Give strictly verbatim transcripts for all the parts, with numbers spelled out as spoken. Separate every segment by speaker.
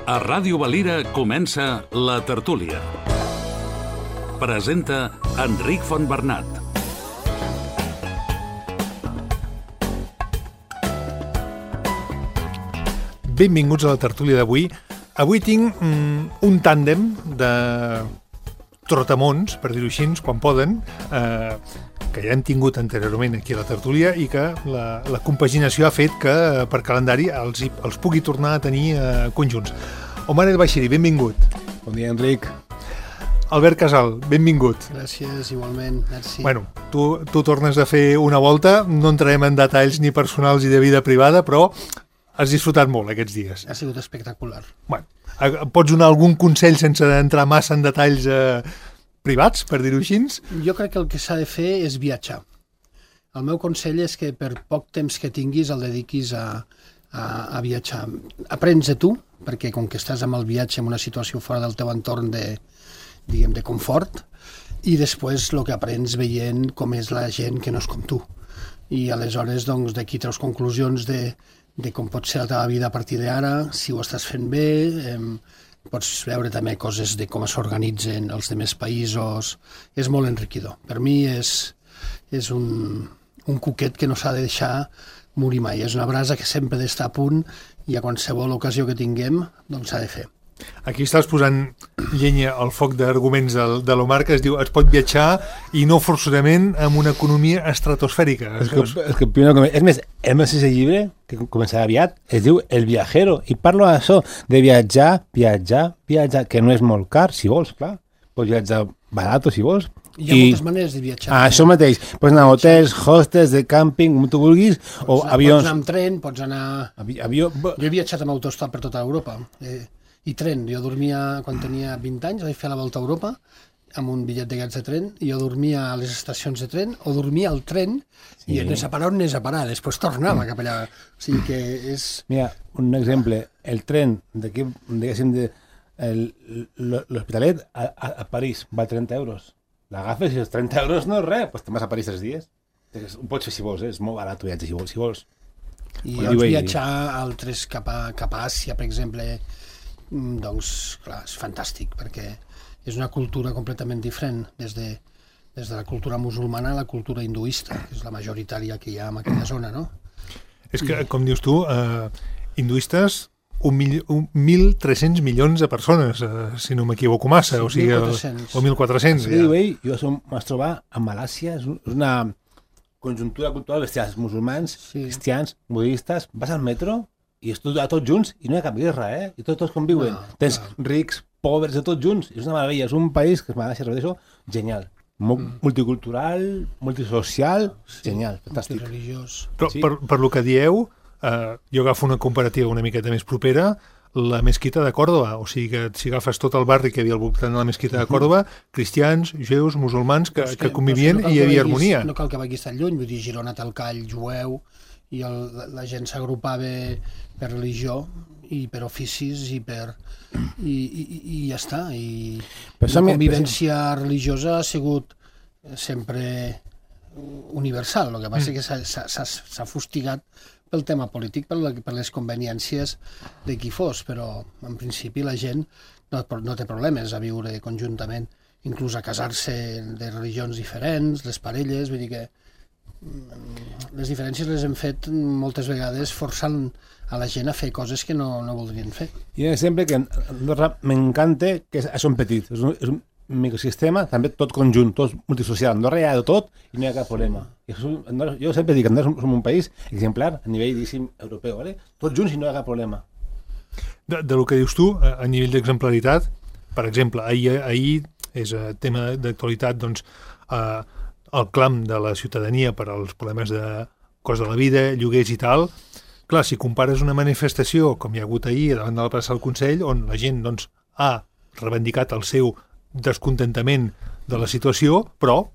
Speaker 1: A Ràdio Valira comença La Tertúlia. Presenta Enric Fontbernat.
Speaker 2: Benvinguts a La Tertúlia d'avui. Avui tinc mm, un tàndem de trotamons, per dir-ho així, quan poden, eh, que ja hem tingut anteriorment aquí a La Tertúlia i que la, la compaginació ha fet que eh, per calendari els, els pugui tornar a tenir eh, conjunts. Omar El Baixiri, benvingut.
Speaker 3: Bon dia, Enric.
Speaker 2: Albert Casal, benvingut.
Speaker 4: Gràcies, igualment. Merci.
Speaker 2: Bueno, tu, tu tornes a fer una volta, no entrarem en detalls ni personals ni de vida privada, però has disfrutat molt aquests dies.
Speaker 4: Ha sigut espectacular.
Speaker 2: Bueno, pots donar algun consell sense entrar massa en detalls eh, privats, per dir-ho així?
Speaker 4: Jo crec que el que s'ha de fer és viatjar. El meu consell és que per poc temps que tinguis el dediquis a, a, a viatjar. Aprens de tu, perquè com que estàs amb el viatge en una situació fora del teu entorn de, diguem, de confort, i després el que aprens veient com és la gent que no és com tu. I aleshores, doncs, d'aquí treus conclusions de, de com pot ser la teva vida a partir d'ara, si ho estàs fent bé, eh, pots veure també coses de com s'organitzen els demés països. És molt enriquidor. Per mi és, és un, un cuquet que no s'ha de deixar morir mai. És una brasa que sempre ha d'estar a punt i a qualsevol ocasió que tinguem doncs s'ha de fer.
Speaker 2: Aquí estàs posant llenya al foc d'arguments de, de l'Omar, que es diu es pot viatjar i no forçosament amb una economia estratosfèrica.
Speaker 3: És que, és que primer, és més, hem de ser llibre, que començarà aviat, es diu El Viajero, i parlo d'això, de viatjar, viatjar, viatjar, que no és molt car, si vols, clar. Pots viatjar barat, si vols.
Speaker 4: Hi ha I... moltes maneres de viatjar.
Speaker 3: Ah, això mateix. Pots anar a hotels, hostels, de càmping, com tu vulguis,
Speaker 4: pots
Speaker 3: o
Speaker 4: anar,
Speaker 3: avions.
Speaker 4: Pots anar amb tren, pots anar...
Speaker 3: Avi, avió...
Speaker 4: Jo he viatjat amb autostop per tota Europa. Eh, I tren. Jo dormia, quan tenia vint anys, vaig fer la volta a Europa amb un bitllet d'aquests de tren, i jo dormia a les estacions de tren, o dormia al tren, sí. I anés a parar on anés a parar. Després tornava cap allà. O sigui que és...
Speaker 3: Mira, un exemple. El tren d'aquí, diguéssim, de, l'Hospitalet a, a, a París val trenta euros. L'agafes i els trenta euros no és res, doncs te'n vas a París tres dies. Ho pots fer si vols, eh? És molt barat viatge si vols. Si vols.
Speaker 4: I doncs viatjar altres cap a, cap a Àsia, per exemple, doncs, clar, és fantàstic, perquè és una cultura completament diferent, des de, des de la cultura musulmana a la cultura hinduista, que és la majoritària que hi ha en aquella zona, no?
Speaker 2: És que, com dius tu, eh, hinduistes, un mil, un mil tres-cents milions de persones, eh, si no m'equivoco massa, sí, o sigui,
Speaker 4: mil quatre-cents.
Speaker 2: O mil quatre-cents.
Speaker 3: Sí, ja. Jo som, m'has trobat a Malàsia, és una conjuntura cultural de cristians, musulmans, sí. Cristians, budistes, vas al metro i és tot, tots junts i no hi ha cap guerra, eh? I tots, tots conviuen. No, tens no. rics, pobres, de tots junts. És una meravella, és un país que es Malàsia, repeteixo, genial. Mm. Multicultural, multisocial, sí, genial, fantàstic.
Speaker 4: Multireligiós.
Speaker 2: Però
Speaker 4: sí.
Speaker 2: per, per lo que dieu, eh, jo agafo una comparativa una miqueta més propera, la mesquita de Còrdova, o sigui que si agafes tot el barri que hi havia al voltant de la mesquita de Còrdova, cristians, jueus, musulmans, que, que, que convivien no i hi havia
Speaker 4: vegis,
Speaker 2: harmonia.
Speaker 4: No cal que vagis tan lluny, vull dir, Girona té el call jueu i el, la, la gent s'agrupava per religió i per oficis i per i, i, i ja està. I la convivència religiosa ha sigut sempre universal, el que passa mm. que s'ha fustigat pel tema polític, per, la, per les conveniències de qui fos, però en principi la gent no, no té problemes a viure conjuntament, inclús a casar-se de religions diferents, les parelles, vull dir que les diferències les hem fet moltes vegades forçant a la gent a fer coses que no, no voldrien fer.
Speaker 3: I un exemple que m'encanta, que és, és un petit, és un, és un microsistema, també tot conjunt, tot multisocial. Andorra hi ha de tot i no hi ha cap problema. I Andorra, jo sempre dic que Andorra som un país exemplar a nivell, diguéssim, europeu, ¿vale? Tots junts i no hi ha cap problema.
Speaker 2: De, de lo que dius tu, a, a nivell d'exemplaritat, per exemple, ahir, ahir és a tema d'actualitat, doncs, eh, el clam de la ciutadania per als problemes de cost de la vida, lloguers i tal. Clar, si compares una manifestació com hi ha hagut ahir davant de la plaça del Consell, on la gent doncs, ha reivindicat el seu descontentament de la situació, però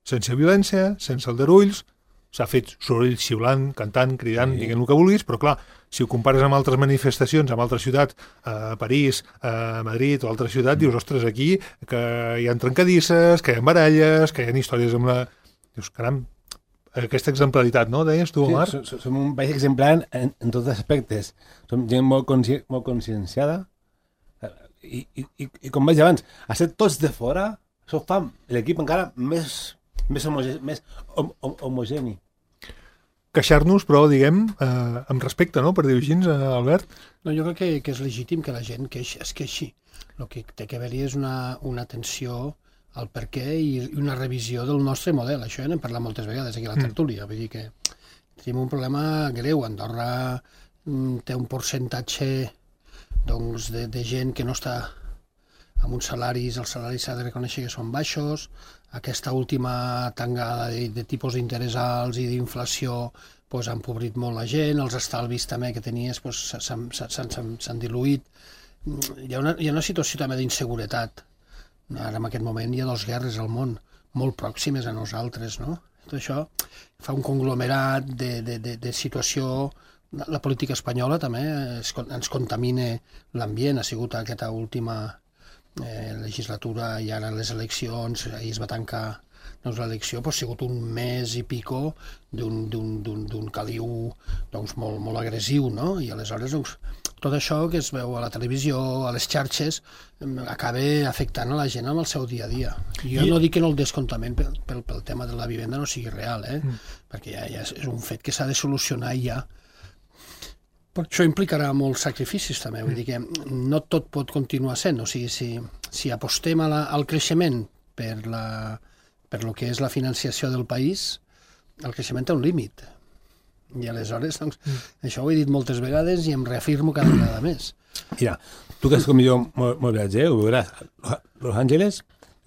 Speaker 2: sense violència, sense aldarulls, s'ha fet soroll xiulant, cantant, cridant, sí. Diguent el que vulguis, però clar, si ho compares amb altres manifestacions, amb altres ciutats, a París, a Madrid o altres ciutats, dius, ostres, aquí que hi ha trencadisses, que hi ha baralles, que hi ha històries amb la... Dius, caram, aquesta exemplaritat, no? Deies tu, Omar?
Speaker 3: Sí, som un país exemplar en, en tots els aspectes. Som gent molt, consci molt conscienciada I, i, i, i com vaig dir abans, a ser tots de fora, això fa l'equip encara més, més, homoge, més hom, hom, homogeni.
Speaker 2: Queixar-nos, però, diguem, eh, amb respecte, no?, per dir-ho així, eh, Albert?
Speaker 4: No, jo crec que, que és legítim que la gent queix, es queixi. El que té que haver-hi és una, una atenció al per què i una revisió del nostre model. Això ja n'hem parlat moltes vegades aquí a la tertúlia. Vull dir que tenim un problema greu. Andorra mm, té un percentatge doncs, de, de gent que no està amb uns salaris, els salaris s'ha de reconèixer que són baixos, aquesta última tangada de, de tipus d'interès alts i d'inflació pues, han empobrit molt la gent, els estalvis també que tenies pues, s'han diluït. Hi ha, una, hi ha una situació també d'inseguretat. Ara en aquest moment hi ha dues guerres al món, molt pròximes a nosaltres, no? Tot això fa un conglomerat de, de, de, de situació. La política espanyola també es, ens contamina l'ambient, ha sigut aquesta última eh, legislatura i ara les eleccions, ahir es va tancar doncs, l'elecció, però ha sigut un mes i pico d'un caliu doncs, molt, molt agressiu, no? I aleshores doncs, tot això que es veu a la televisió, a les xarxes, acaba afectant a la gent amb el seu dia a dia. Jo I... no dic que no el descontament pel, pel, pel tema de la vivenda no sigui real, eh? Mm. perquè ja, ja és un fet que s'ha de solucionar ja. Però això implicarà molts sacrificis també, vull dir que no tot pot continuar sent, o sigui, si, si apostem a la, al creixement per, la, per lo que és la financiació del país, el creixement té un límit. I aleshores, doncs, mm. això ho he dit moltes vegades i em reafirmo cada vegada més.
Speaker 3: Mira, tu que és com jo molt, molt viatger, ho veuràs. Los Angeles,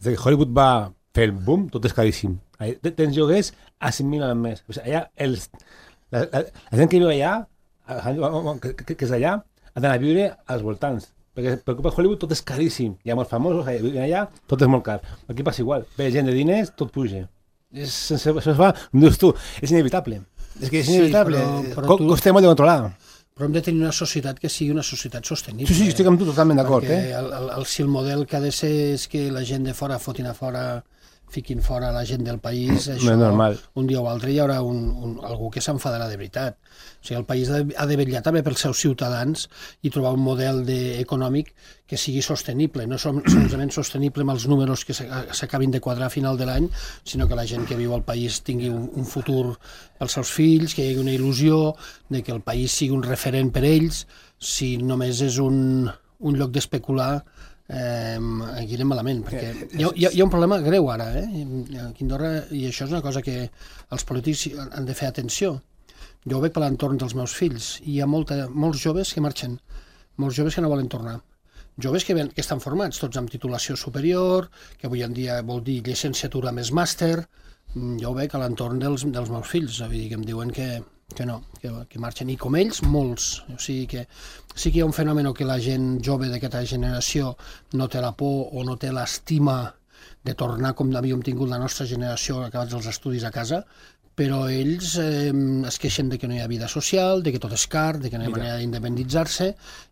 Speaker 3: des que Hollywood va fer el boom, tot és caríssim. Tens lloguers a cinc mil al mes. O sigui, allà, els, la, la, la gent que viu allà, que, que, que és allà, ha d'anar a viure als voltants. Perquè per culpa de Hollywood tot és caríssim. Hi ha molts famosos allà, tot és molt car. Aquí passa igual. Ve gent de diners, tot puja. És, sense, això es fa, com dius tu, és inevitable. És que és inevitable. Sí, però, però tu... Costa molt de controlar.
Speaker 4: Però hem de tenir una societat que sigui una societat sostenible.
Speaker 3: Sí, sí, estic amb tu totalment d'acord.
Speaker 4: Eh?
Speaker 3: Eh?
Speaker 4: El, el, el, si el model que ha de ser és que la gent de fora fotin a fora, fiquin fora la gent del país, això,
Speaker 3: no és normal.
Speaker 4: Un dia o altre hi haurà un, un, algú que s'enfadarà de veritat. O sigui, el país ha de, ha de vetllar també pels seus ciutadans i trobar un model de, econòmic que sigui sostenible, no som, solament sostenible amb els números que s'acabin de quadrar a final de l'any, sinó que la gent que viu al país tingui un, un futur pels seus fills, que hi hagi una il·lusió de que el país sigui un referent per ells. Si només és un, un lloc d'especular, Eh, aquí anem malament, perquè hi ha, hi, ha, hi ha un problema greu ara, eh? Aquí a Andorra, i això és una cosa que els polítics han de fer atenció. Jo ho veig per l'entorn dels meus fills i hi ha molta, molts joves que marxen, molts joves que no volen tornar, joves que, ven, que estan formats tots amb titulació superior, que avui en dia vol dir llicenciatura més màster. Jo ho veig a l'entorn dels, dels meus fills, vull dir que em diuen que que no, que, que marxen, i com ells, molts. O sigui que sí que hi ha un fenomen que la gent jove d'aquesta generació no té la por o no té l'estima de tornar com havíem tingut la nostra generació acabats els estudis a casa, però ells eh, es queixen de que no hi ha vida social, de que tot és car, de que no hi ha manera d'independitzar-se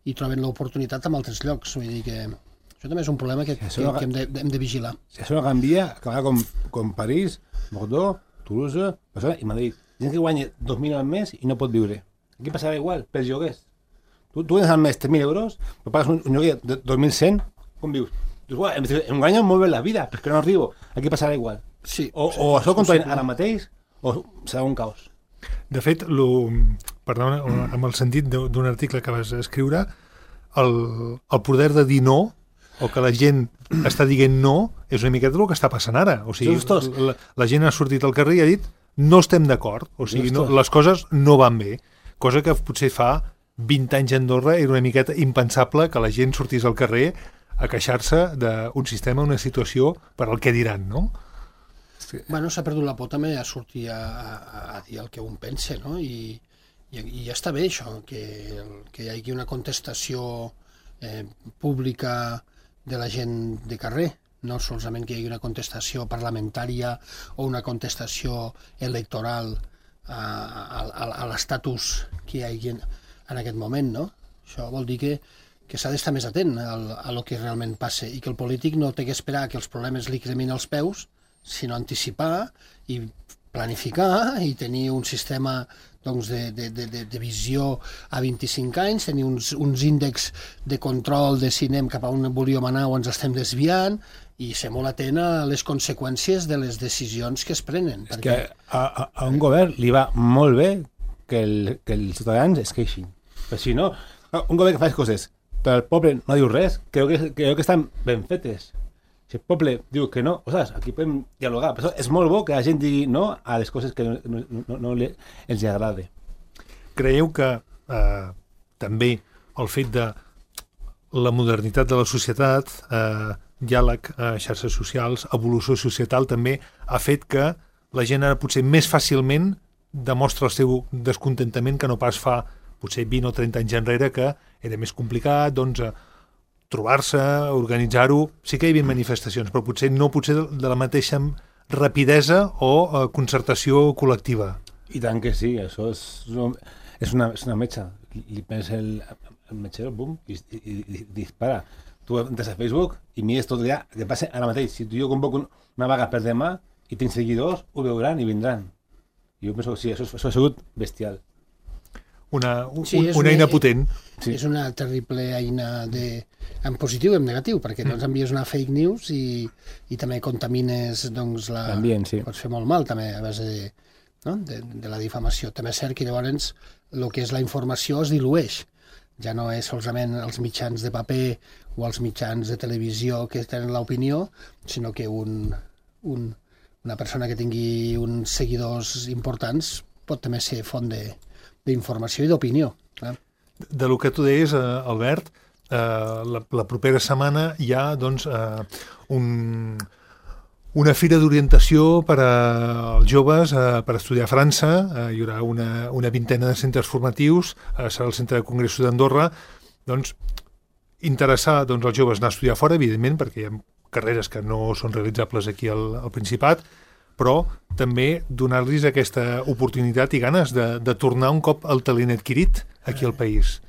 Speaker 4: i troben l'oportunitat en altres llocs. Vull dir que això també és un problema que, si que, no, que hem, de, hem de vigilar.
Speaker 3: Si això no canvia, acabarà com, com París, Bordeaux, Toulouse, Barcelona i Madrid. Gent que guanya dos mil al mes i no pot viure. Aquí passarà igual, pels lloguers. Tu, tu guanyes al mes tres mil euros, però pagues un, un lloguer de dos mil cent, com vius? Dius, uah, em, em guanyo molt bé la vida, però és que no arribo. Aquí passarà igual.
Speaker 4: Sí,
Speaker 3: o,
Speaker 4: sí,
Speaker 3: o això controlen ara mateix, o serà un caos.
Speaker 2: De fet, lo, perdona, amb el sentit d'un article que vas escriure, el, el poder de dir no, o que la gent està dient no, és una miqueta el que està passant ara. O sigui, la, la gent ha sortit al carrer i ha dit no estem d'acord, o sigui, no, les coses no van bé, cosa que potser fa vint anys a Andorra era una miqueta impensable que la gent sortís al carrer a queixar-se d'un sistema, una situació per al que diran, no?
Speaker 4: Bueno, s'ha perdut la por també a sortir a, a, a dir el que un pensa, no? I, i, i ja està bé això, que, que hi hagi una contestació eh, pública de la gent de carrer, no solament que hi hagi una contestació parlamentària o una contestació electoral a, a, a, a l'estatus que hi hagi en, en aquest moment, no? Això vol dir que, que s'ha d'estar més atent a, a lo que realment passa i que el polític no té que esperar que els problemes li cremin els peus, sinó anticipar i planificar i tenir un sistema doncs, de, de, de, de visió a vint-i-cinc anys, tenir uns, uns índexs de control de si anem cap a on volíem anar o ens estem desviant, i ser molt atent a les conseqüències de les decisions que es prenen.
Speaker 3: És perquè... que a, a, a un govern li va molt bé que, el, que els ciutadans es queixin. Però si no, un govern que fa coses però el poble no diu res, creu que, creu que estan ben fetes. Si el poble diu que no, ostres, aquí podem dialogar. Però és molt bo que la gent digui no a les coses que no, no, no, no li, els agrada.
Speaker 2: Creieu que eh, també el fet de la modernitat de la societat, eh, diàleg a xarxes socials, evolució societal, també ha fet que la gent ara potser més fàcilment demostra el seu descontentament que no pas fa potser vint o trenta anys enrere, que era més complicat, doncs, trobar-se, organitzar-ho. Sí que hi havia manifestacions, però potser no potser de la mateixa rapidesa o eh, concertació col·lectiva.
Speaker 3: I tant que sí, això és, és, una, és una metxa. Li pensa el, el metgero, bum, i, i, i, i dispara. Tu entres a Facebook i mires tot allà, que passa ara mateix. Si tu jo convoco una vaga per demà i tens seguidors, ho veuran i vindran. I jo penso que sí, això, això ha sigut bestial.
Speaker 2: Una, un,
Speaker 4: sí,
Speaker 2: una eina potent.
Speaker 4: Sí. És una terrible eina de, en positiu i en negatiu, perquè doncs, envies una fake news i, i també contamines doncs, la...
Speaker 3: l'ambient, sí.
Speaker 4: Pots fer molt mal també a base de, no? de, de la difamació. També és cert que llavors el que és la informació es dilueix. Ja no és solament els mitjans de paper o els mitjans de televisió que tenen l'opinió, sinó que un, un, una persona que tingui uns seguidors importants pot també ser font de d'informació i d'opinió. Eh?
Speaker 2: De lo que tu deies, eh, Albert, eh, la, la propera setmana hi ha doncs, eh, un, una fira d'orientació per als joves eh, per estudiar a França. Eh, hi haurà una, una vintena de centres formatius, eh, serà el Centre de Congressos d'Andorra. Doncs, interessar doncs, els joves anar a estudiar fora, evidentment, perquè hi ha carreres que no són realitzables aquí al, al Principat, però també donar-los aquesta oportunitat i ganes de, de tornar un cop el talent adquirit aquí al país.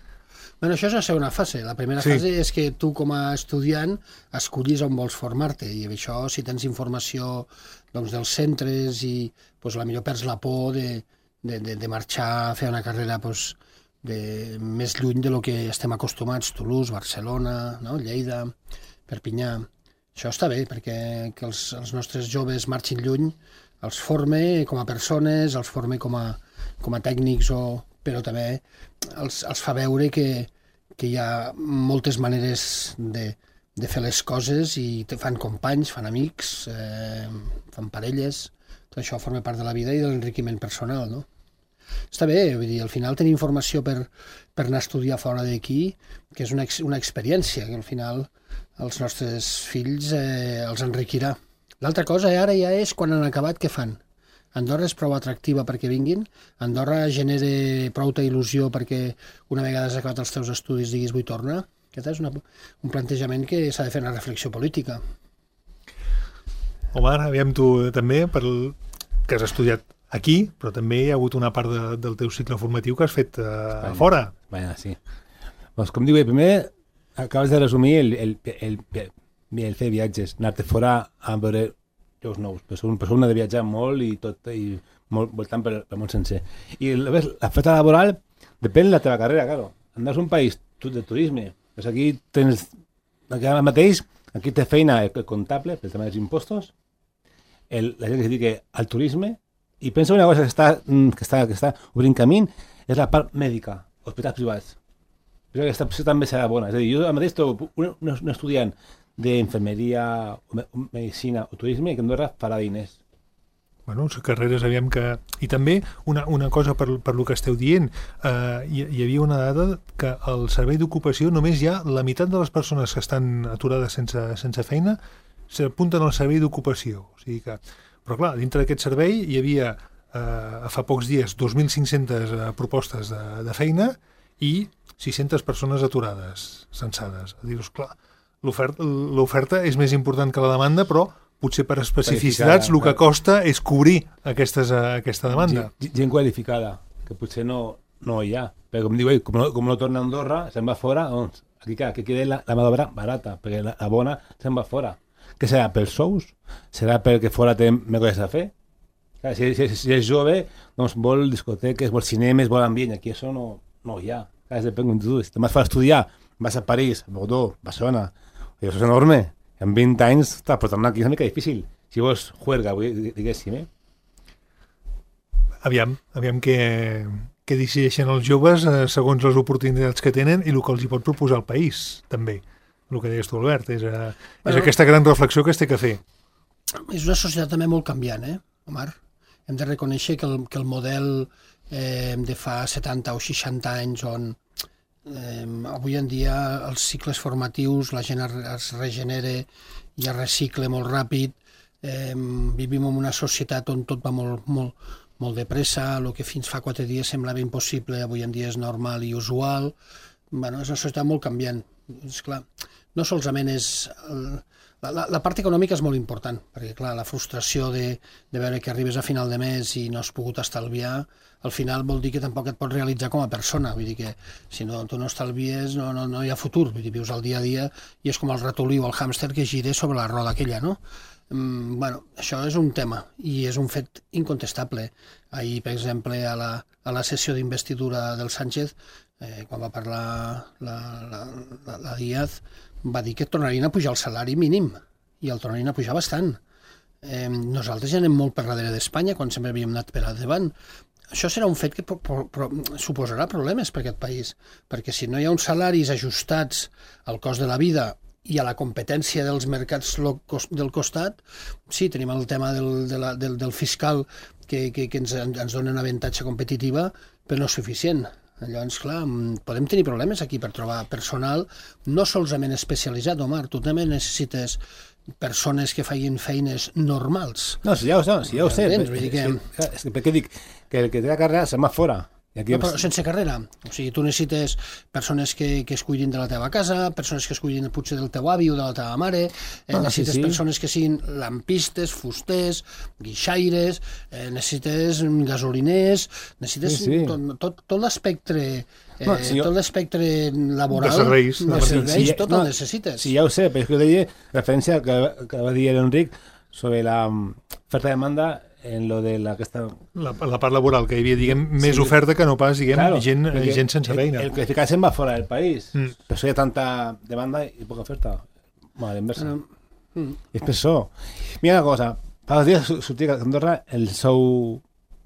Speaker 4: Bueno, això és la segona fase. La primera sí. fase és que tu com a estudiant escollis on vols formar-te, i això, si tens informació doncs, dels centres i doncs, la millor perds la por de, de, de, de marxar a fer una carrera doncs, de, més lluny de lo que estem acostumats, Toulouse, Barcelona, no? Lleida, Perpinyà. Això està bé, perquè que els, els nostres joves marxin lluny, els forme com a persones, els forme com a, com a tècnics, o, però també els, els fa veure que, que hi ha moltes maneres de, de fer les coses i fan companys, fan amics, eh, fan parelles. Tot això forma part de la vida i de l'enriquiment personal, no? Està bé, vull dir, al final tenir informació per, per anar a estudiar fora d'aquí, que és una, una experiència que al final els nostres fills eh, els enriquirà. L'altra cosa ara ja és quan han acabat, què fan? Andorra és prou atractiva perquè vinguin? Andorra genera prou il·lusió perquè una vegada has acabat els teus estudis diguis vull tornar? Aquest és una, un plantejament que s'ha de fer una reflexió política.
Speaker 2: Omar, aviam tu també, per el, que has estudiat aquí, però també hi ha hagut una part de, del teu cicle formatiu que has fet eh, a fora.
Speaker 3: Bueno, sí. Pues, com diu, primer acabes de resumir el, el, el, el, el fer viatges, anar-te fora a veure llocs nous. Una persona de viatjar molt i tot, i molt, voltant per, per món sencer. I ves, la oferta laboral depèn de la teva carrera, claro. Andes a un país de turisme, pues aquí tens, aquí ara mateix, aquí té feina el comptable, pel tema dels impostos, el, la gent que es dedica al turisme, i pensa una cosa que està, que està, que està obrint camí, és la part mèdica, hospitals privats. Però aquesta opció també serà bona. És a dir, jo mateix trobo un, un estudiant d'infermeria, medicina o turisme que Andorra farà diners.
Speaker 2: Bueno, les carreres, aviam que... I també una, una cosa per, per lo que esteu dient, eh, hi, hi havia una dada que al servei d'ocupació només hi ha la meitat de les persones que estan aturades sense, sense feina s'apunten al servei d'ocupació. O sigui que... Però clar, dintre d'aquest servei hi havia eh, fa pocs dies dos mil cinc-centes eh, propostes de, de feina i sis-centes persones aturades, censades. A dir-vos, clar, l'oferta és més important que la demanda, però potser per especificitats el que costa és cobrir aquestes, aquesta demanda.
Speaker 3: Gent qualificada, que potser no, no hi ha. Però com diu ell, com no, com no torna a Andorra, se'n va fora, doncs, aquí clar, que queda la, la mà d'obra barata, perquè la, la bona se'n va fora. Què serà, pels sous? Serà perquè fora té més coses a fer? Si, si, si és jove, doncs vol discoteques, vol cinemes, vol ambient. Aquí això no, no hi ha. Clar, és depèn de tu. Si te'n vas a estudiar, vas a París, a Bordeaux, Barcelona, i això és enorme. En vint anys, està, però tornar aquí és una mica difícil. Si vols juerga, diguéssim, eh?
Speaker 2: Aviam, aviam què, què decideixen els joves eh, segons les oportunitats que tenen i el que els hi pot proposar el país, també. El que deies tu, Albert, és, eh, és
Speaker 4: Bueno,
Speaker 2: aquesta gran reflexió que es té que fer.
Speaker 4: És una societat també molt canviant, eh, Omar? Hem de reconèixer que el, que el model eh, de fa setanta o seixanta anys on eh, avui en dia els cicles formatius, la gent es, es regenera i es recicle molt ràpid, eh, vivim en una societat on tot va molt, molt, molt de pressa, el que fins fa quatre dies semblava impossible, avui en dia és normal i usual. Bueno, és una societat molt canviant. És clar, no solament és... El, la, la, la part econòmica és molt important, perquè clar, la frustració de, de veure que arribes a final de mes i no has pogut estalviar, al final vol dir que tampoc et pots realitzar com a persona. Vull dir que si no, tu no estalvies no, no, no hi ha futur. Vull dir, vius el dia a dia i és com el ratolí o el hàmster que gira sobre la roda aquella, no? Mm, bueno, això és un tema i és un fet incontestable. Ahir, per exemple, a la, a la sessió d'investidura del Sánchez, eh, quan va parlar la, la, la, la Díaz, va dir que tornarien a pujar el salari mínim i el tornarien a pujar bastant. Eh, nosaltres ja anem molt per darrere d'Espanya quan sempre havíem anat per davant. Això serà un fet que pro, pro, pro, suposarà problemes per aquest país, perquè si no hi ha uns salaris ajustats al cost de la vida i a la competència dels mercats del costat, sí, tenim el tema del, de la, del, del fiscal que, que, que ens, ens dona una avantatge competitiva, però no és suficient. Llavors, clar, podem tenir problemes aquí per trobar personal no solament especialitzat, Omar, tu també necessites persones que facin feines normals.
Speaker 3: No, si ja ho sé, si ja ho sé.
Speaker 4: Entens? Vull dir que...
Speaker 3: És que, per què dic? Que el que té la carrera se'n va fora. I aquí...
Speaker 4: No, però sense carrera. O sigui, tu necessites persones que, que es cuidin de la teva casa, persones que es cuidin potser del teu avi o de la teva mare, eh,
Speaker 3: ah,
Speaker 4: necessites
Speaker 3: sí, sí.
Speaker 4: persones que siguin lampistes, fusters, guixaires, eh, necessites gasoliners, necessites
Speaker 3: sí, sí.
Speaker 4: tot, tot, tot l'espectre eh,
Speaker 3: no, si jo...
Speaker 4: tot l'espectre laboral,
Speaker 2: de serveis,
Speaker 4: de serveis
Speaker 3: si,
Speaker 4: tot
Speaker 3: no,
Speaker 4: el necessites.
Speaker 3: Sí, ja ho sé, però és que ho deia referència al que, que va dir l'Enric sobre la oferta de demanda en lo de la, aquesta...
Speaker 2: La, la part laboral, que hi havia, diguem, més
Speaker 3: sí.
Speaker 2: oferta que no pas, diguem,
Speaker 3: claro,
Speaker 2: gent, gent sense feina.
Speaker 3: El, el qualificat se'n va fora del país.
Speaker 2: Mm.
Speaker 3: Per això hi ha tanta demanda i poca oferta. Bueno, l'inversa.
Speaker 4: Mm. Mm.
Speaker 3: És per això. Mira una cosa, fa dos dies sortia a Andorra el sou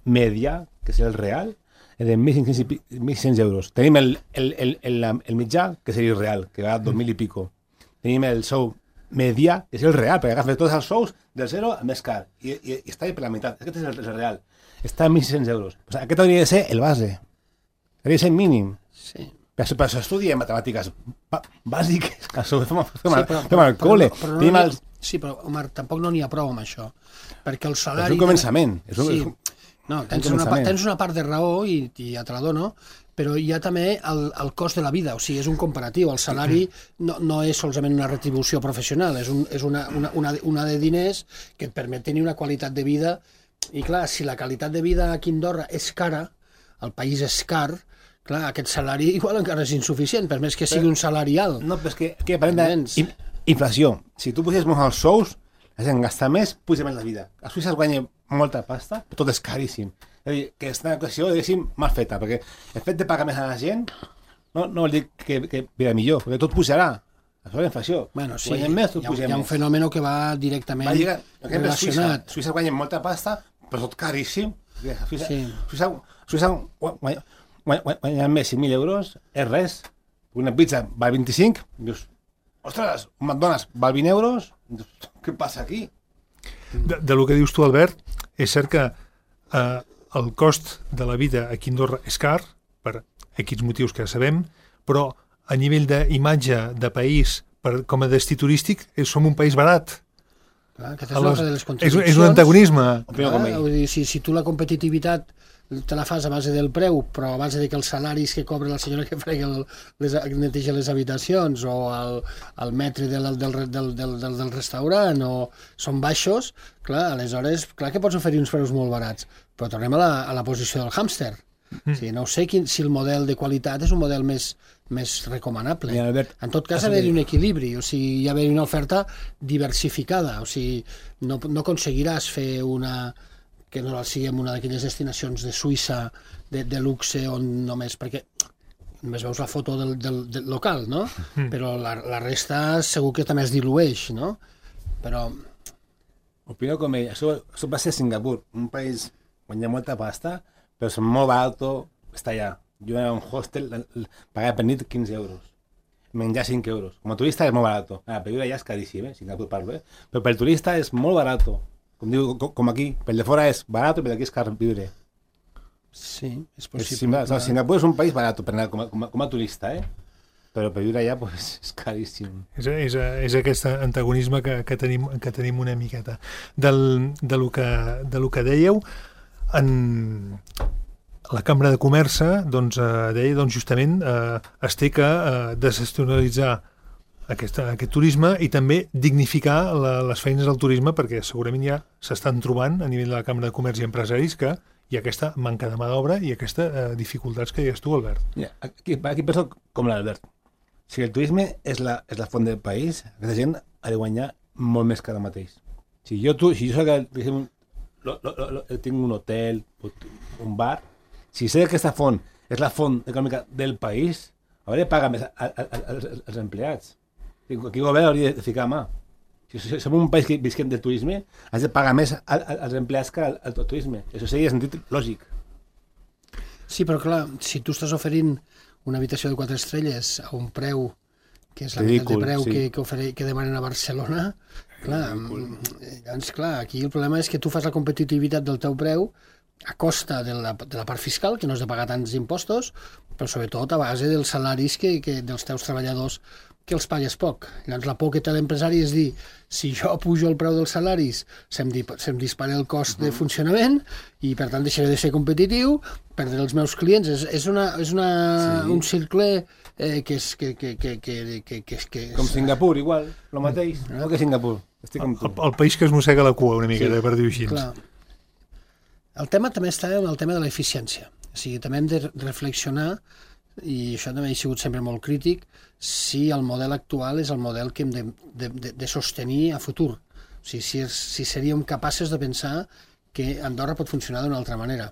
Speaker 3: media, que és el real, és de mil cinc-cents euros. Tenim el, el, el, el, el mitjà, que seria el real, que va a dos mil i pico. Tenim el sou media, que és el real, perquè agafa tots els sous del zero al més car, i, i, i està per la meitat. Aquest és el, el real. Està a mil sis-cents euros. O sigui, aquest hauria de ser el base. Hauria de ser mínim.
Speaker 4: Sí.
Speaker 3: Per això, per això estudiem matemàtiques bàsiques, que això fem, fem,
Speaker 4: Sí, però,
Speaker 3: fem al col·le.
Speaker 4: Però, però no
Speaker 3: el...
Speaker 4: Sí, però, Omar, tampoc no n'hi ha prou amb això. Perquè el salari...
Speaker 3: És un començament. És un,
Speaker 4: sí.
Speaker 3: és un...
Speaker 4: No, tens una, tens una part de raó i, i ja te la dono, però hi ha també el, el cost de la vida, o sigui, és un comparatiu. El salari no, no és solament una retribució professional, és, un, és una, una, una, una de diners que et permet tenir una qualitat de vida. I clar, si la qualitat de vida aquí a Andorra és cara, el país és car, clar, aquest salari igual encara és insuficient, per més que sigui un salari alt.
Speaker 3: No, però és que, que parlem d'inflació. Si tu pusies molt els sous, la gent gasta més, puja més la vida. A Suïssa es guanya molta pasta, però tot és caríssim. És a dir, que és una equació, diguéssim, mal feta, perquè el fet de pagar més a la gent no, no vol dir que, que viurà millor, perquè tot pujarà. Això és la inflació.
Speaker 4: Bueno, sí,
Speaker 3: guanyem més, tot
Speaker 4: hi ha,
Speaker 3: pugem
Speaker 4: hi ha un
Speaker 3: més.
Speaker 4: fenomen que va directament
Speaker 3: va lligar,
Speaker 4: relacionat.
Speaker 3: Suïssa, Suïssa guanya molta pasta, però tot caríssim. Suïssa,
Speaker 4: Sí.
Speaker 3: Suïssa, Suïssa guanya, guanya, guanya més cinc mil euros, és res. Una pizza val vint-i-cinc, dius, ostres, un McDonald's val vint euros, què passa aquí?
Speaker 2: De, de lo que dius tu, Albert, és cert que eh, el cost de la vida aquí a Andorra és car, per aquests motius que ja sabem, però a nivell d'imatge de país, per, com a destí turístic, és, som un país barat.
Speaker 4: Clar, aquesta és una altra de les
Speaker 2: és,
Speaker 4: contradiccions.
Speaker 2: és un antagonisme.
Speaker 4: Clar, vull dir, si, si tu la competitivitat te la fas a base del preu, però a base de que els salaris que cobra la senyora que frega el, les, neteja les habitacions o el, el metre del, del, del, del, del, del restaurant o són baixos, clar, aleshores, clar que pots oferir uns preus molt barats, però tornem a la, a la posició del hàmster. Mm. O sigui, no sé quin, si el model de qualitat és un model més, més recomanable.
Speaker 3: Mira, Albert,
Speaker 4: en tot cas, ha d'haver-hi un equilibri, o sigui, hi ha d'haver una oferta diversificada, o sigui, no, no aconseguiràs fer una que no siguem una d'aquelles destinacions de Suïssa de, de luxe on només... perquè només veus la foto del, del, del local, no? Mm. Però la, la resta segur que també es dilueix, no? Però...
Speaker 3: Opino com ell. Això, això va ser a Singapur, un país on hi ha molta pasta, però és molt barat estar allà. Jo era un hostel, pagava per nit quinze euros. Menjar cinc euros. Com a turista és molt barat. Ah, per viure allà és caríssim, eh? Singapur parlo, eh? Però per turista és molt barat. Com diu, com aquí. Per de fora és barat i per aquí és car viure.
Speaker 4: Sí, és possible.
Speaker 3: És, Singapur és un país barat per anar com a, com a, com a turista, eh? Però per viure allà pues, és caríssim.
Speaker 2: És, és, és aquest antagonisme que, que, tenim, que tenim una miqueta. Del, de, lo que, de lo que dèieu, en la Cambra de Comerç doncs, eh, deia doncs, justament eh, es té que eh, desestacionalitzar aquest, aquest turisme i també dignificar la, les feines del turisme, perquè segurament ja s'estan trobant a nivell de la Cambra de Comerç i empresaris que hi ha aquesta manca de mà d'obra i aquestes eh, dificultats que deies tu, Albert.
Speaker 3: Ja, aquí, aquí penso com l'Albert. Si el turisme és la, és la font del país, aquesta gent ha de guanyar molt més que ara mateix. Si jo, tu, si jo sé que lo, lo, lo, tinc un hotel, un bar, si sé que aquesta font és la font econòmica del país, hauré de pagar més als empleats. Aquí el govern hauria de ficar mà. Si som un país que visquem del turisme, has de pagar més als empleats que al, al turisme. Això seria sentit lògic.
Speaker 4: Sí, però clar, si tu estàs oferint una habitació de quatre estrelles a un preu que és la meitat de preu sí. que, que, ofere, que demanen a Barcelona, clar, doncs, clar, aquí el problema és que tu fas la competitivitat del teu preu a costa de la, de la part fiscal, que no has de pagar tants impostos, però sobretot a base dels salaris que, que dels teus treballadors que els pagues poc. Llavors la por que té l'empresari és dir, si jo pujo el preu dels salaris, se'm, di, se'm dispara el cost de funcionament i per tant deixaré de ser competitiu, perdré els meus clients. És, és, una, és una, sí. un cercle eh, que és... Que, que, que, que, que, que, que és...
Speaker 3: Com Singapur, igual, el mateix. No, no que Singapur. Estic
Speaker 2: el, el, el país que es mossega la cua una mica, sí. per dir-ho així.
Speaker 4: Clar. El tema també està en el tema de l'eficiència. O sigui, també hem de reflexionar, i això també ha sigut sempre molt crític, si el model actual és el model que hem de, de, de, de sostenir a futur. O sigui, si, és, si seríem capaços de pensar que Andorra pot funcionar d'una altra manera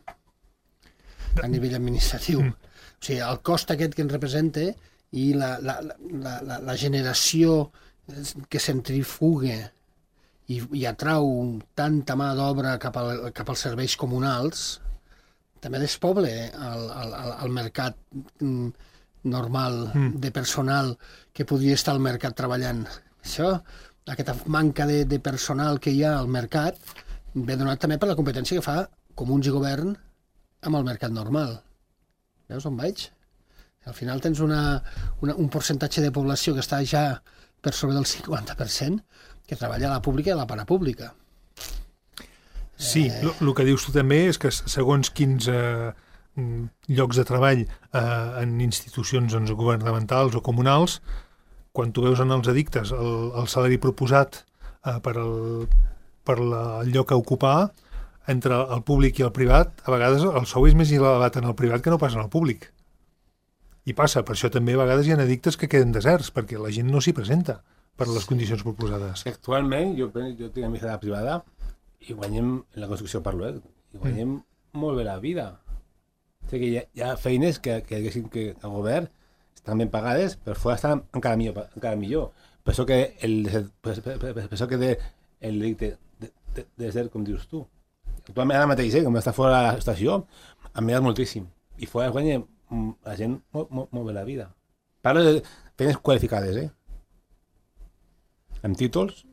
Speaker 4: a nivell administratiu. Mm. O sigui, el cost aquest que ens representa i la, la, la, la, la generació que centrifuga i, i atrau tanta mà d'obra cap, al, cap als serveis comunals, també despoble el, el, el mercat normal mm. de personal que podria estar al mercat treballant. Això, aquesta manca de, de personal que hi ha al mercat, ve donat també per la competència que fa Comuns i Govern amb el mercat normal. Veus on vaig? Al final tens una, una, un percentatge de població que està ja per sobre del cinquanta per cent que treballa a la pública i a la parapública.
Speaker 2: Sí, el eh... que dius tu també és que segons quins eh, llocs de treball eh, en institucions doncs, governamentals o comunals, quan tu veus en els edictes el, el salari proposat eh, per, el, per la, el lloc a ocupar, entre el públic i el privat, a vegades el sou és més elevat en el privat que no pas en el públic. I passa, per això també a vegades hi ha edictes que queden deserts, perquè la gent no s'hi presenta per les condicions proposades.
Speaker 3: Actualment, jo, jo tinc amistat privada i guanyem, en la construcció parlo, eh? I guanyem mm. molt bé la vida. O sigui que hi ha, hi ha feines que, que, que el govern estan ben pagades, però fora estan encara millor. Encara millor. Per això que el, per, per, per, per això que de, el delicte de, de, de ser, com dius tu. Actualment ara mateix, eh, com està fora de l'estació, ha millorat moltíssim. I fora guanya la gent molt, molt, molt bé la vida. Parlo de feines qualificades, eh? Amb títols,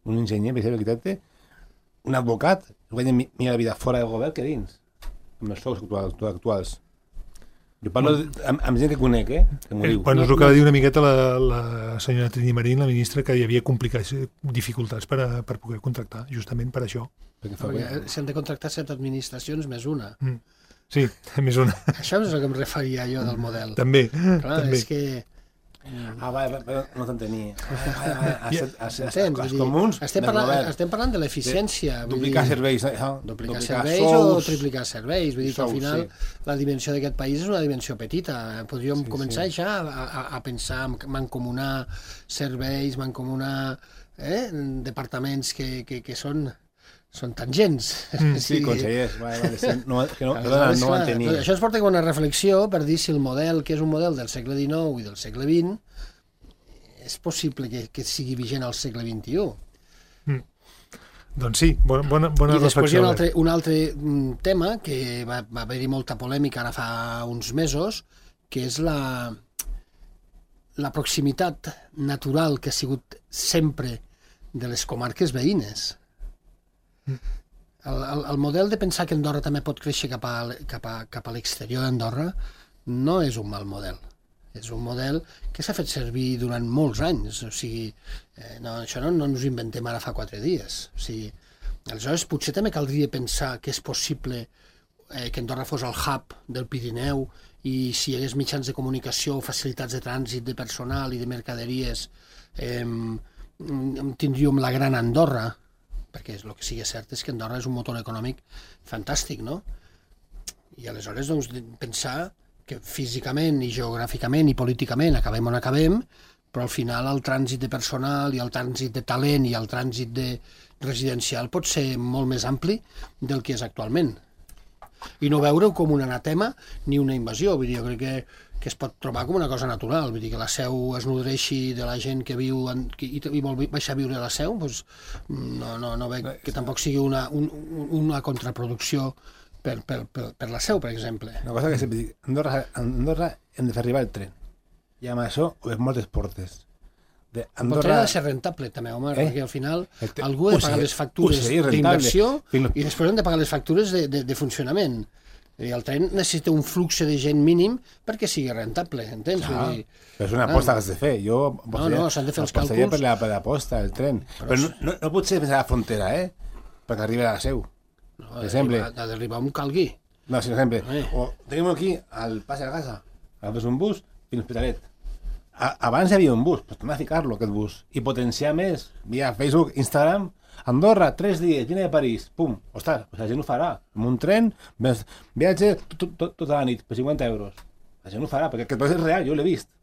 Speaker 3: un enginyer, per exemple, arquitecte, un advocat, guanya millor la vida fora del govern que dins, amb els sous actuals. Jo parlo de, amb, amb gent que conec, eh? Que m'ho
Speaker 2: eh,
Speaker 3: diu.
Speaker 2: Bueno, és el que va dir una miqueta la, la senyora Trini Marín, la ministra, que hi havia complicats, dificultats per, a, per poder contractar, justament per això.
Speaker 4: Perquè s'han de contractar set administracions més una. Mm.
Speaker 2: Sí, més una.
Speaker 4: Això és el que em referia jo del model.
Speaker 2: També.
Speaker 4: Clar,
Speaker 2: també.
Speaker 4: és que...
Speaker 3: Ah, va, va, no t'entenia.
Speaker 4: Els comuns estem parlant, estem parlant de l'eficiència.
Speaker 3: Duplicar serveis.
Speaker 4: Duplicar serveis o triplicar serveis. Vull dir que al final la dimensió d'aquest país és una dimensió petita. Podríem començar ja a, a pensar en mancomunar serveis, mancomunar eh, departaments que, que, que són són tangents.
Speaker 3: Mm, sí, consellers, vale, vale, sí, no, que no,
Speaker 4: Aleshores,
Speaker 3: no, no
Speaker 4: clar,
Speaker 3: entenia.
Speaker 4: això ens porta a una reflexió per dir si el model, que és un model del segle dinou i del segle vint, és possible que, que sigui vigent al segle vint-i-u.
Speaker 2: Mm. Doncs sí, bona, bona, bona
Speaker 4: I després hi
Speaker 2: reflexió.
Speaker 4: ha un altre, un altre tema que va, va haver-hi molta polèmica ara fa uns mesos, que és la, la proximitat natural que ha sigut sempre de les comarques veïnes. El, el, el model de pensar que Andorra també pot créixer cap a, cap a, cap a l'exterior d'Andorra no és un mal model. És un model que s'ha fet servir durant molts anys. O sigui, eh, no, això no, no ens ho inventem ara fa quatre dies. O sigui, aleshores, potser també caldria pensar que és possible eh, que Andorra fos el hub del Pirineu i si hi hagués mitjans de comunicació, facilitats de trànsit de personal i de mercaderies, eh, tindríem la gran Andorra, perquè el que sigui cert és que Andorra és un motor econòmic fantàstic, no? I aleshores, doncs, pensar que físicament i geogràficament i políticament acabem on acabem, però al final el trànsit de personal i el trànsit de talent i el trànsit de residencial pot ser molt més ampli del que és actualment. I no veure-ho com un anatema ni una invasió. Vull dir, jo crec que, que es pot trobar com una cosa natural. Vull dir, que la Seu es nodreixi de la gent que viu en, que, i, i vol baixar a viure a la Seu, doncs no, no, no veig que tampoc sigui una, un, una contraproducció Per, per, per, per la Seu, per exemple.
Speaker 3: Una cosa que sempre dic, Andorra, Andorra hem de fer arribar el tren. I amb això obrim moltes portes.
Speaker 4: De Andorra... El tren ha de ser rentable, també, home, eh? Perquè al final
Speaker 3: te...
Speaker 4: algú ha de pagar les factures d'inversió
Speaker 3: Fins...
Speaker 4: i després hem de pagar les factures de, de, de funcionament. I el tren necessita un flux de gent mínim perquè sigui rentable, entens?
Speaker 3: Ah,
Speaker 4: Vull dir,
Speaker 3: però és una aposta ah, que has de fer. Jo
Speaker 4: no, no, s'han de fer els càlculs.
Speaker 3: Per la, per l'aposta, el tren. Però, però no, no, no pot ser fins a la frontera, eh? Perquè arribi a la Seu.
Speaker 4: No, ha d'arribar on calgui.
Speaker 3: No, si no, sempre. Eh. O tenim aquí al pas de la casa, agafes un bus fins a l'Hospitalet. Abans hi havia un bus, doncs torna a ficar-lo, aquest bus. I potenciar més, via Facebook, Instagram, Andorra, tres dies, vine de París, pum. Ostres, pues la gent ho farà. Amb un tren, viatge tot, tot, tota la nit, per cinquanta euros. La gent ho farà, perquè aquest és real, jo l'he vist.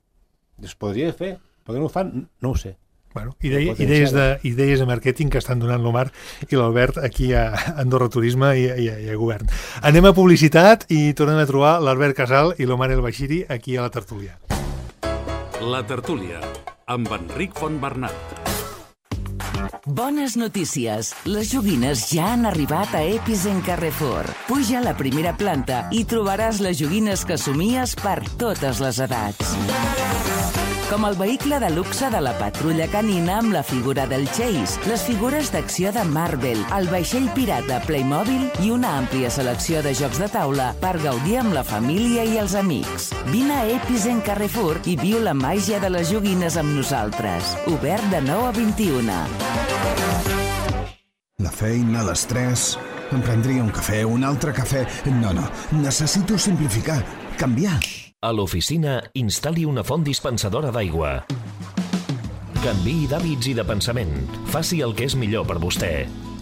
Speaker 3: Es podria fer, perquè no ho fan, no ho sé.
Speaker 2: Bueno, idea, idees, de, idees de màrqueting que estan donant l'Omar i l'Albert aquí a Andorra Turisme i, i, i a Govern. Anem a publicitat i tornem a trobar l'Albert Casal i l'Omar El Baixiri aquí a la tertúlia.
Speaker 1: La tertúlia, amb Enric Fontbernat.
Speaker 5: Bones notícies. Les joguines ja han arribat a Epicent Carrefour. Puja a la primera planta i trobaràs les joguines que somies per totes les edats. Com el vehicle de luxe de la patrulla canina amb la figura del Chase, les figures d'acció de Marvel, el vaixell pirata Playmobil i una àmplia selecció de jocs de taula per gaudir amb la família i els amics. Vine a Epicent Carrefour i viu la màgia de les joguines amb nosaltres. Obert de nou a vint-i-una.
Speaker 6: La feina, l'estrès... Em prendria un cafè, un altre cafè... No, no, necessito simplificar, canviar.
Speaker 7: A l'oficina, instal·li una font dispensadora d'aigua. Canviï d'hàbits i de pensament. Faci el que és millor per vostè.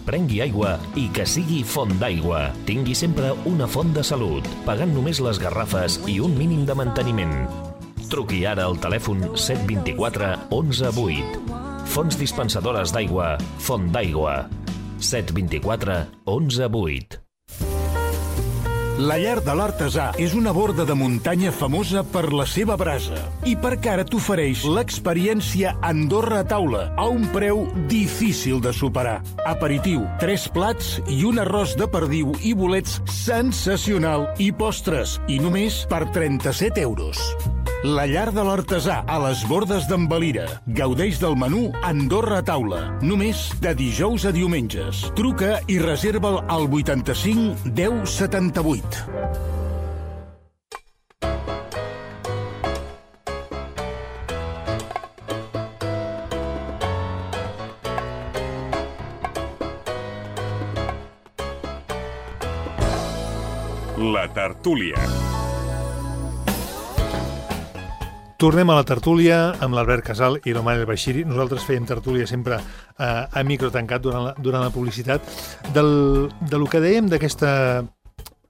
Speaker 7: Prengui aigua i que sigui font d'aigua. Tingui sempre una font de salut, pagant només les garrafes i un mínim de manteniment. Truqui ara al telèfon set dos quatre onze vuit. Fonts dispensadores d'aigua, Font d'Aigua. set dos quatre onze vuit.
Speaker 8: La Llar de l'Artesà és una borda de muntanya famosa per la seva brasa i perquè ara t'ofereix l'experiència Andorra a taula a un preu difícil de superar. Aperitiu, tres plats i un arròs de perdiu i bolets sensacional i postres, i només per trenta-set euros. La Llar de l'Artesà, a les bordes d'en Valira. Gaudeix del menú Andorra a taula, només de dijous a diumenges. Truca i reserva'l al vuitanta-cinc deu setanta-vuit.
Speaker 9: La tertúlia.
Speaker 2: Tornem a la tertúlia amb l'Albert Casal i l'Omar El Baixiri. Nosaltres fèiem tertúlia sempre a, a micro tancat durant la, durant la publicitat. Del, de lo que dèiem d'aquesta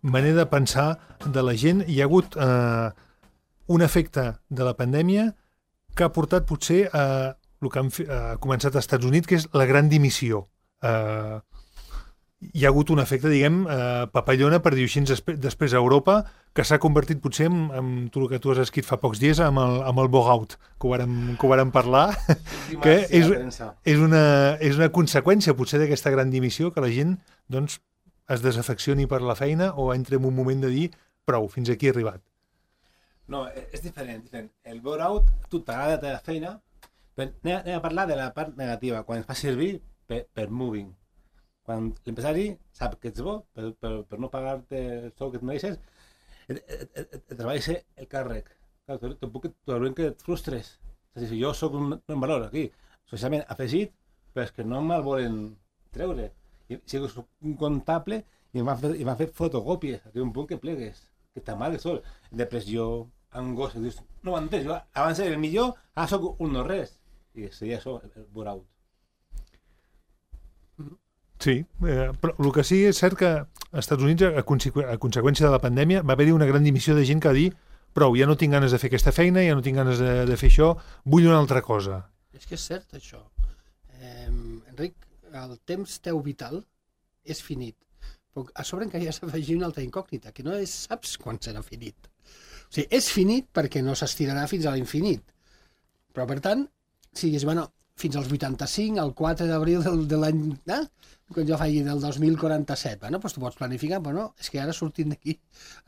Speaker 2: manera de pensar de la gent, hi ha hagut eh, un efecte de la pandèmia que ha portat potser a el que han, ha començat als Estats Units, que és la gran dimissió. Eh, hi ha hagut un efecte, diguem, eh, papallona, per dir així, després, després a Europa, que s'ha convertit potser en, en tu, el que tu has escrit fa pocs dies, amb el, amb el bore-out, que ho vàrem, que ho vàrem parlar, que és, és, una, és una conseqüència potser d'aquesta gran dimissió, que la gent doncs, es desafeccioni per la feina o entri en un moment de dir prou, fins aquí he arribat.
Speaker 3: No, és diferent. diferent. El bore-out, tu t'agrada la feina, però anem, anem a parlar de la part negativa, quan es fa servir per, per moving. Quan l'empresari sap que ets bo, per, per, per no pagar-te el sou que et mereixes, et, et, et, et treballa el càrrec. Clar, tampoc et frustres. És a dir, jo soc un, un valor aquí, socialment afegit, però és que no me'l volen treure. I, si soc un comptable i em van fer, em van fer fotocòpies, arriba un punt que plegues, que t'amagues sol. Depressió, angoixa, dius, no ho entens, jo abans era el millor, ara soc un no res. I seria això, el bore-out.
Speaker 2: Sí, eh, però el que sí és cert que als Estats Units, a, consequ a conseqüència de la pandèmia, va haver-hi una gran dimissió de gent que va dir prou, ja no tinc ganes de fer aquesta feina, ja no tinc ganes de, de fer això, vull una altra cosa.
Speaker 4: És que és cert, això. Eh, Enric, el temps teu vital és finit. Però a sobre encara hi has d'afegir una altra incògnita, que no és, saps quan serà finit. O sigui, és finit perquè no s'estirarà fins a l'infinit. Però, per tant, si digues, bueno, fins als vuitanta-cinc, el quatre d'abril del, de l'any... Eh? Quan jo faig del dos mil quaranta-set, bueno, doncs tu pots planificar, però no, és que ara sortint d'aquí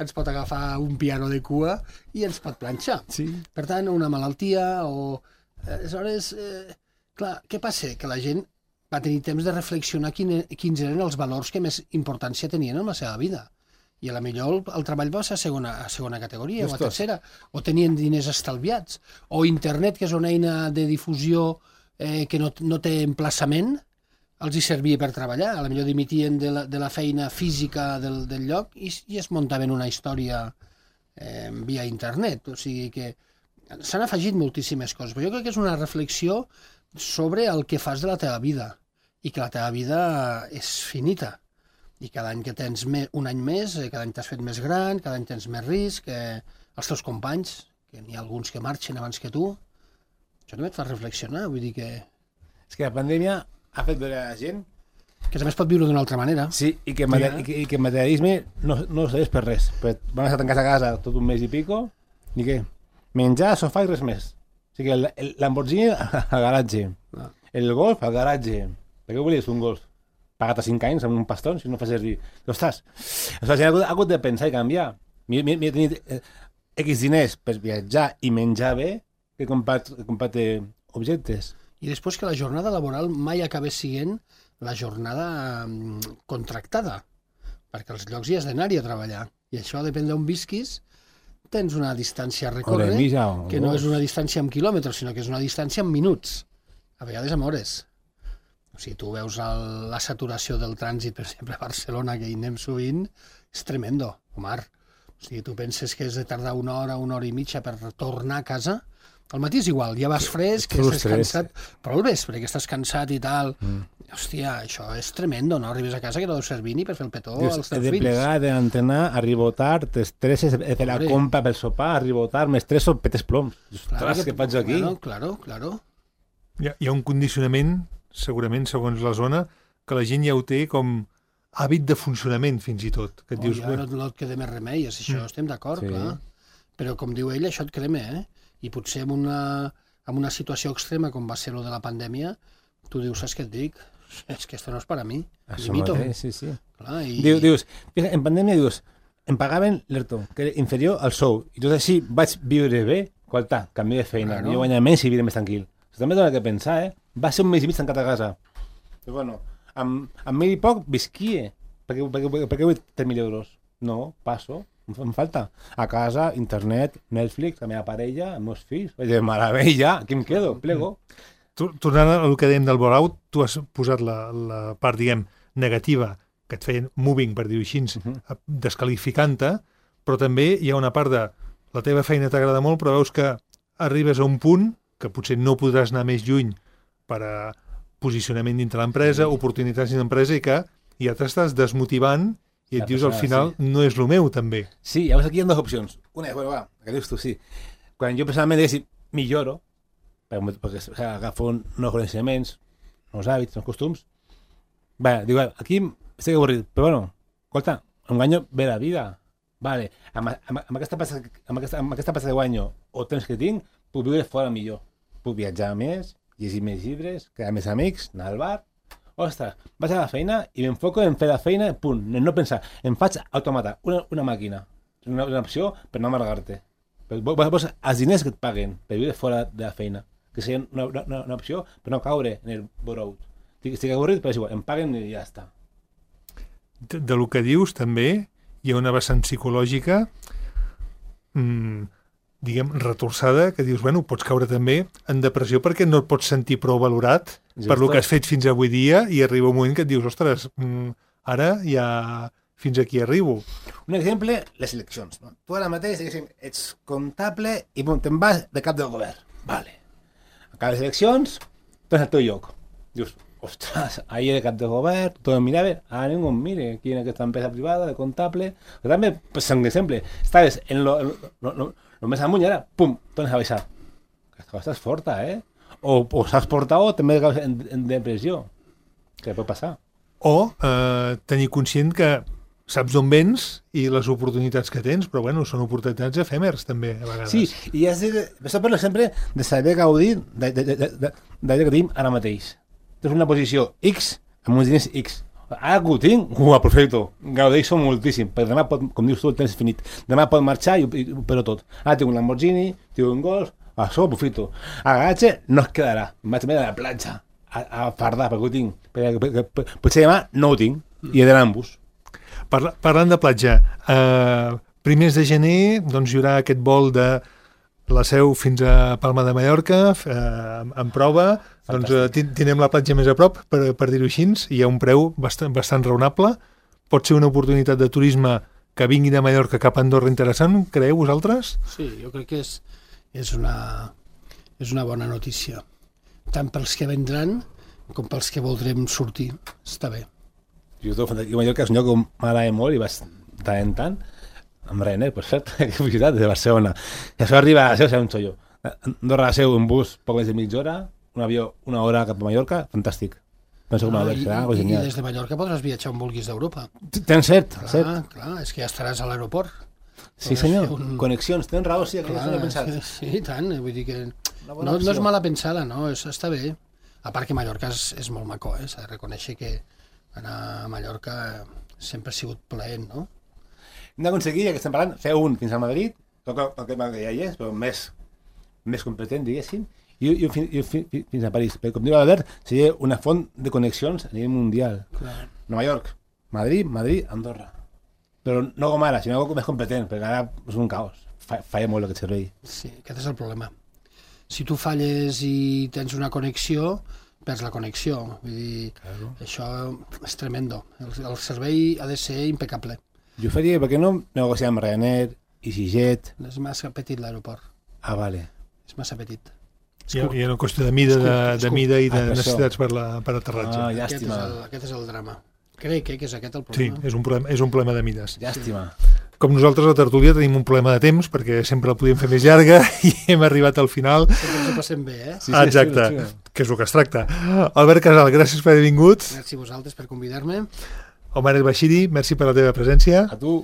Speaker 4: ens pot agafar un piano de cua i ens pot planxar.
Speaker 2: Sí.
Speaker 4: Per tant, una malaltia o... Aleshores, eh, clar, què passa? Que la gent va tenir temps de reflexionar quin, quins eren els valors que més importància tenien en la seva vida. I a la millor el, el treball va ser a segona, a segona categoria Justos. o a tercera, o tenien diners estalviats, o internet, que és una eina de difusió eh, que no, no té emplaçament, els hi servia per treballar, a la millor dimitien de la, de la feina física del, del lloc i, i es muntaven una història eh, via internet, o sigui que s'han afegit moltíssimes coses, però jo crec que és una reflexió sobre el que fas de la teva vida i que la teva vida és finita i cada any que tens més, un any més, cada any t'has fet més gran, cada any tens més risc, que els teus companys, que n'hi ha alguns que marxen abans que tu, això també et fa reflexionar, vull dir que...
Speaker 3: És que la pandèmia ha fet veure a la gent
Speaker 4: que també es pot viure d'una altra manera.
Speaker 3: Sí, i que, sí, i que, i que el materialisme no, no serveix per res. Vam estar tancats a casa tot un mes i pico, i què? Menjar, sofà i res més. O sigui, el, el Lamborghini al garatge, ah. el golf al garatge. Per què volies un golf? Pagat a cinc anys amb un paston, si no fa servir. Ostres, la gent ha hagut de pensar i canviar. M'he tenit eh, X diners per viatjar i menjar bé que comprar objectes.
Speaker 4: I després que la jornada laboral mai acabés sent la jornada contractada, perquè als llocs hi has d'anar-hi a treballar. I això depèn d'on visquis, tens una distància a recórrer, que no és una distància en quilòmetres, sinó que és una distància en minuts, a vegades en hores. O sigui, tu veus el, la saturació del trànsit, per exemple, a Barcelona, que hi anem sovint, és tremendo, Omar. O sigui, tu penses que has de tardar una hora, una hora i mitja per tornar a casa. Al matí és igual, ja vas fresc, que estàs cansat, però al vespre, que estàs cansat i tal. Mm. Hòstia, això és tremendo, no? Arribes a casa que no deu servir ni per fer el petó
Speaker 3: Dius,
Speaker 4: als teus
Speaker 3: fills. He de plegar, he d'entrenar, arribo tard, t'estresses, he de fer la compra pel sopar, arribo tard, m'estresso, petes ploms. Ostres, què faig aquí?
Speaker 4: Claro, claro, claro.
Speaker 2: Hi ha, hi ha un condicionament, segurament, segons la zona, que la gent ja ho té com hàbit de funcionament, fins i tot. Que et
Speaker 4: oh,
Speaker 2: dius,
Speaker 4: ja, no, no et queda més remei, és això, mm. estem d'acord, sí. Clar. Però, com diu ell, això et crema, eh? I potser en una, en una situació extrema com va ser lo de la pandèmia, tu dius, saps què et dic? És que esto no és per a mi.
Speaker 3: Això mateix, sí, sí.
Speaker 4: Clar, i...
Speaker 3: Diu, dius, en pandèmia dius, em pagaven l'ERTO, que era inferior al sou, i tot així vaig viure bé, qualta, canvi de feina, claro. Jo guanyava menys i viure més tranquil. Això també dona que pensar, eh? Va ser un mes i mig tancat a casa. Però bueno, amb, amb mil i poc visquia. Per què, per, per, per què vull tres mil euros? No, passo. Em falta. A casa, internet, Netflix, la meva parella, els meus fills. De meravella, aquí em quedo, plego.
Speaker 2: Tornant al que dèiem del bore-out, tu has posat la, la part, diguem, negativa, que et feien moving, per dir-ho així, uh -huh. descalificant-te, però també hi ha una part de la teva feina t'agrada molt, però veus que arribes a un punt que potser no podràs anar més lluny per a posicionament dintre l'empresa, sí. Oportunitats dintre l'empresa, i que ja t'estàs desmotivant i et la dius, persona, al final, sí. No és el meu, també.
Speaker 3: Sí, llavors aquí hi ha dues opcions. Una és, bueno, va, que dius tu, sí. Quan jo personalment diguéssim, milloro, perquè agafo nous coneixements, nous hàbits, nous costums, bé, dic, aquí estic avorrit, però bueno, escolta, un guanyo ve la vida. Vale, amb, amb, amb, aquesta passa, amb, aquesta, amb aquesta passa de guanyo o temps que tinc, puc viure fora millor. Puc viatjar més, llegir més llibres, quedar més amics, anar al bar. Ostres, vaig a la feina i m'enfoco en fer la feina, punt, no pensar. Em faig automata, una, una màquina, una, una opció per no amargar-te. Vols els diners que et paguen per viure fora de la feina, que sigui una, una, una opció per no caure en el burnout. Estic avorrit, però és igual, em paguen i ja està.
Speaker 2: De, de lo que dius, també, hi ha una vessant psicològica mmm, diguem, retorçada, que dius, bueno, pots caure també en depressió perquè no et pots sentir prou valorat Just per lo que has fet fins avui dia i arriba un moment que et dius, ostres, mm, ara ja fins aquí arribo.
Speaker 3: Un exemple, les eleccions. No? Tu ara mateix, diguéssim, ets comptable i bon, te'n vas de cap del govern. Vale. Acabes les eleccions, tens el teu lloc. Dius, ostres, ahir de cap de govern, tot em mirava, ara ningú em mire, aquí en aquesta empresa privada de comptable. Però també, pues, un exemple, estaves en lo, en lo, lo, lo més amunt i ara, pum, tornes a baixar. Aquesta cosa és forta, eh? O, o s'has portat o també en, en depressió. Què pot passar?
Speaker 2: O eh, tenir conscient que saps d'on vens i les oportunitats que tens, però bueno, són oportunitats efèmers també, a vegades.
Speaker 3: Sí, i has de, això parlo sempre de saber gaudir d'allò que tenim ara mateix. Tens una posició X amb uns diners X. Ara que ho tinc, ho aprofito, gaudeixo moltíssim, perquè demà, pot, com dius tu, el temps és finit. Demà pot marxar i, i ho perdo tot. Ara tinc un Lamborghini, tinc un Golf, això ho aprofito. A Gagatge no es quedarà, em vaig també a la platja, a, a fardar, perquè ho tinc. Perquè, perquè, perquè, potser demà no ho tinc, i he d'anar amb bus.
Speaker 2: Parla, parlant de platja, eh, primers de gener doncs, hi haurà aquest vol de la Seu fins a Palma de Mallorca, eh, en prova, doncs, eh, tindrem la platja més a prop, per, per dir-ho així, hi ha un preu bastant, bastant raonable, pot ser una oportunitat de turisme que vingui de Mallorca cap a Andorra interessant, creieu vosaltres?
Speaker 4: Sí, jo crec que és, és, una, és una bona notícia, tant pels que vendran com pels que voldrem sortir, està bé.
Speaker 3: Jo, jo Mallorca és un lloc que m'agrada molt i vaig tant en tant, amb Ryanair, per cert, que felicitat, de Barcelona. I això arriba a la Seu, serà un xollo. Andorra a la Seu, un bus, poc més de mitja hora, un avió, una hora cap a Mallorca, fantàstic. Penso que
Speaker 4: no,
Speaker 3: Mallorca
Speaker 4: i,
Speaker 3: serà
Speaker 4: i,
Speaker 3: genial.
Speaker 4: I des de Mallorca podràs viatjar on vulguis d'Europa.
Speaker 3: Tens cert,
Speaker 4: clar,
Speaker 3: cert.
Speaker 4: Clar, és que ja estaràs a l'aeroport.
Speaker 3: Sí, senyor, un... connexions, tens raó, sí, clar, no he pensat.
Speaker 4: Sí, i tant, vull dir que no, no és mala pensada, no, és, està bé. A part que Mallorca és, és molt maco, eh? S'ha de reconèixer que anar a Mallorca sempre ha sigut plaent, no?
Speaker 3: Hem d'aconseguir, ja que estem parlant, fer un fins a Madrid, el que ja hi és, però més, més competent, diguéssim, i, i, i, i fins a París. Perquè, com diu l'Albert, seria una font de connexions a nivell mundial.
Speaker 4: Clar.
Speaker 3: Nova York, Madrid, Madrid, Andorra. Però no com ara, sinó més competent, perquè ara és un caos. Fa, falla molt aquest servei.
Speaker 4: Sí, aquest és el problema. Si tu falles i tens una connexió, perds la connexió. Vull dir, claro. Això és tremendo. El, el servei ha de ser impecable.
Speaker 3: Jo faria, per què no negociar amb Ryanair, EasyJet?
Speaker 4: És massa petit l'aeroport.
Speaker 3: Ah, vale.
Speaker 4: És massa petit.
Speaker 2: Hi ha, hi ha una qüestió de mida, de, de mida i de ah, necessitats per, la, per aterratge.
Speaker 3: Ah,
Speaker 4: aquest, és el, aquest és el drama. Crec eh, que és aquest el problema.
Speaker 2: Sí, és un problema, és un problema de mides.
Speaker 3: Llàstima.
Speaker 2: Com nosaltres a la tertúlia tenim un problema de temps, perquè sempre la podíem fer més llarga i hem arribat al final.
Speaker 4: Sempre ens ho passem bé, eh?
Speaker 2: Sí, sí, exacte, sí, sí. Que és el que es tracta. Albert Casal, gràcies per haver vingut.
Speaker 4: Merci a vosaltres per convidar-me.
Speaker 2: Omar El Bashiri, merci per la teva presència.
Speaker 3: A tu.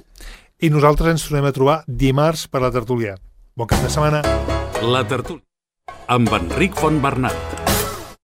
Speaker 2: I nosaltres ens tornem a trobar dimarts per la tertúlia. Bon cap de setmana.
Speaker 1: La tertúlia amb Enric Fontbernat.